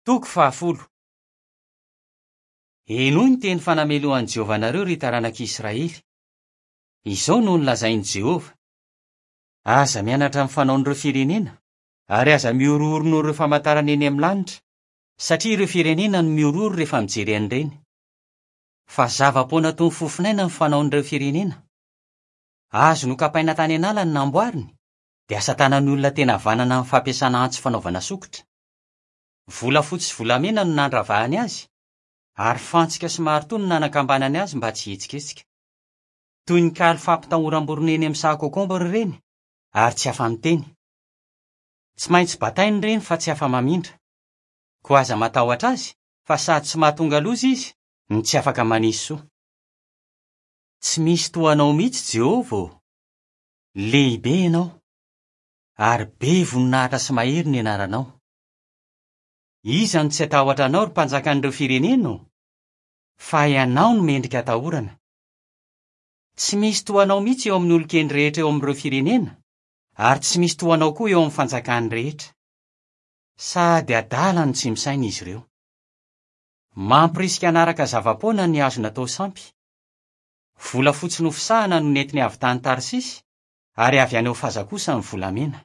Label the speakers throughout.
Speaker 1: Toko fahafolo. Henoy ny teny fanamelohan'i Jehovah anareo, ry taranak'i Israely. Izao no nolazain'i Jehovah, Aza mianatra ny fanaon'ireo firenena, ary aza mihorohoro noho ireo famantarana eny amin'ny lanitra, satria ireo firenena no mihorohoro rehefa mijery an'ireny. Fa zava-poana toy ny fofonaina ny fanaon'ireo firenena. Azo nokapaina tany an'ala ny namboariny, dia asa tanan'ny olona tena havanana amin'ny fampiasana antsy fanaovana sokitra. Volafotsy sy volamena no nandravahany azy, ary fantsika sy maritoa no nanakambanany azy mba tsy hihetsiketsika. Toy ny kaly fampitahoram-borona eny amin'ny saha kôkômbra ireny, ary tsy afa-miteny. Tsy maintsy bataina ireny fa tsy afa-mamindra. Koa aza matahotra azy, fa sady tsy mahatonga loza izy, no tsy afaka manisy soa. Tsy misy toa anao mihitsy, Jehovah ô! Lehibe ianao, ary be voninahitra sy mahery ny anaranao. Iza no tsy hatahotra anao, ry mpanjakan'ireo firenena ô? Fa ianao no mendrika atahorana. Tsy misy toa anao mihitsy eo amin'ny olon-kendry rehetra eo amin'ireo firenena, ary tsy misy toa anao koa eo amin'ny fanjakany rehetra. Sady adala no tsy misaina izy ireo. Mampirisika hanaraka zava-poana ny hazo natao sampy. Volafotsy nofisahana no nentiny avy tany Tarsisy, ary avy any Ofaza kosa ny volamena.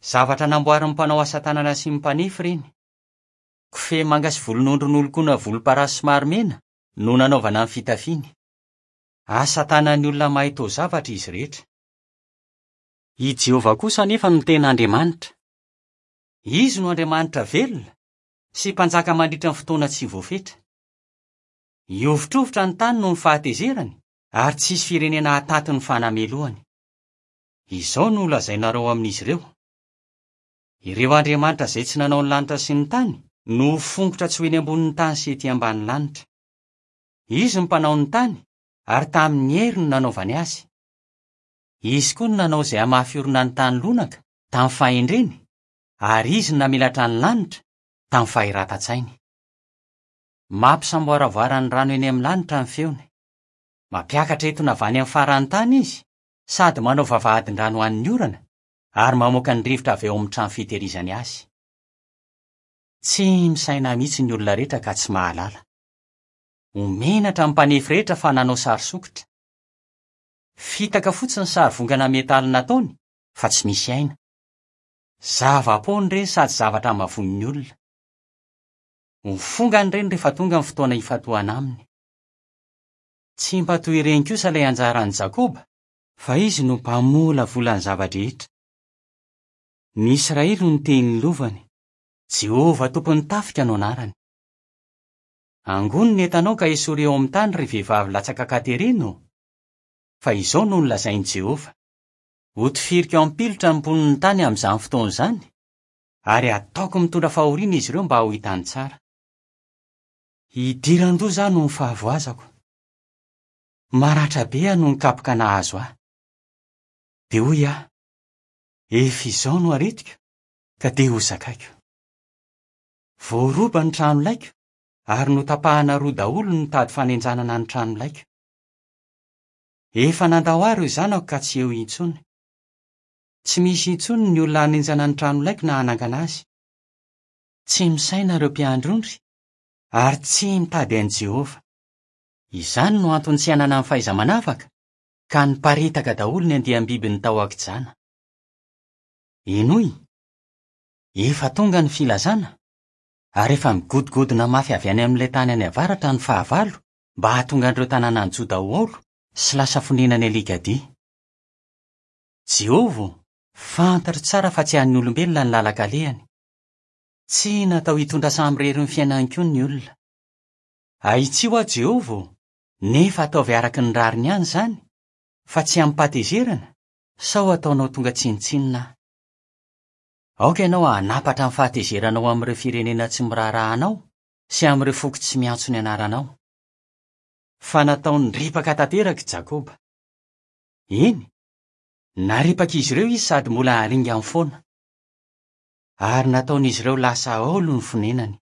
Speaker 1: Zavatra namboarin'ny mpanao asa tanana sy ny mpanefy ireny. Kofehy manga sy volon'ondry nolokoina volomparasy somary mena no nanaovana ny fitafiany. Asa tanan'ny olona mahay taozavatra izy rehetra. I Jehovah kosa anefa no tena Andriamanitra. Izy no Andriamanitra velona sy Mpanjaka mandritra ny fotoana tsy voafetra. Hihovitrovitra ny tany noho ny fahatezerany, ary tsy hisy firenena hahataty ny fanamelohany. Izao no holazainareo amin'izy ireo, Ireo andriamanitra izay tsy nanao ny lanitra sy ny tany no ho fongotra tsy ho eny ambonin'ny tany sy ety ambany lanitra. Izy no mpanao ny tany, ary tamin'ny hery no nanaovany azy. Izy koa no nanao izay hamafy orina ny tany lonaka tamin'ny fahendreny, ary izy no namelatra ny lanitra tamin'ny fahiratan-tsainy. Mampisamboaravoara ny rano eny amin'ny lanitra ny feony. Mampiakatra etona avy any amin'ny faran'ny tany izy, sady manao vavahadin-drano ho an'ny orana, ary mamoaka ny rivotra avy ao amin'ny trano fitehirizany azy. Tsy misaina mihitsy ny olona rehetra ka tsy mahalala. Ho menatra ny mpanefy rehetra fa nanao sary sokitra. Fitaka fotsiny ny sary vongana metaly nataony fa tsy misy aina. Zava-poana ireny sady zavatra hamavoin'ny olona. Ho fongana ireny rehefa tonga ny fotoana hifantohana aminy. Tsy mba toy ireny kosa ilay anjaran'i Jakoba, fa izy no mpamolavola ny zava-drehetra. Ny Israely no niteny ny lovany, Jehovah Tompon'ny tafika no anarany. Angony ny entanao ka esory eo amin'ny tany, ry vehivavy latsaka an-katerena ô! Fa izao no nolazain'i Jehovah, Hotifiriko ampilotra ny mponin'ny tany amin'izany fotoana izany, ary hataoko mitondra fahoriana izy ireo mba ho hitany tsara. Hidiran-doza aho noho ny fahavoazako. Maratra be aho noho ny kapoka nahazo ahy. Dia hoy aho, Efa izao no aretiko, ka dia hozakaiko. Voaroba ny tranolaiko, ary notapahana roa daholo ny tady fanenjanana ny tranolaiko. Efa nandao ahy ireo zanako ka tsy eo intsony. Tsy misy intsony ny olona hanenjana ny tranolaiko na hanangana azy. Tsy misaina ireo mpiandry ondry, ary tsy mitady an'i Jehovah. Izany no antony tsy hananany fahaiza-manavaka, ka niparitaka daholo ny andiam-bibiny tao an-kijana. Henoy! Efa tonga ny filazana, ary efa migodogodona mafy avy any amin'ilay tany any avaratra ny fahavalo mba hahatonga an'ireo tanànan'i Joda ho aolo sy lasa fonenan'ny alikadia. Jehovah ô, fantatro tsara fa tsy an'ny olombelona ny lalan-kalehany. Tsy natao hitondra samirery ny fiainany koa ny olona. Ahitsio aho, Jehovah ô, nefa ataovy araka ny rariny ihany izany, fa tsy amim-pahatezerana, sao hataonao tonga tsinontsinona aho. Aoka ianao hanapatra ny fahatezeranao amin'ireo firenena tsy miraharaha anao sy amin'ireo foko tsy miantso ny anaranao. Fa nataony ripaka tanteraka i Jakoba. Eny, naripak'izy ireo izy sady mbola haringany foana. Ary nataon'izy ireo lasa aolo ny fonenany.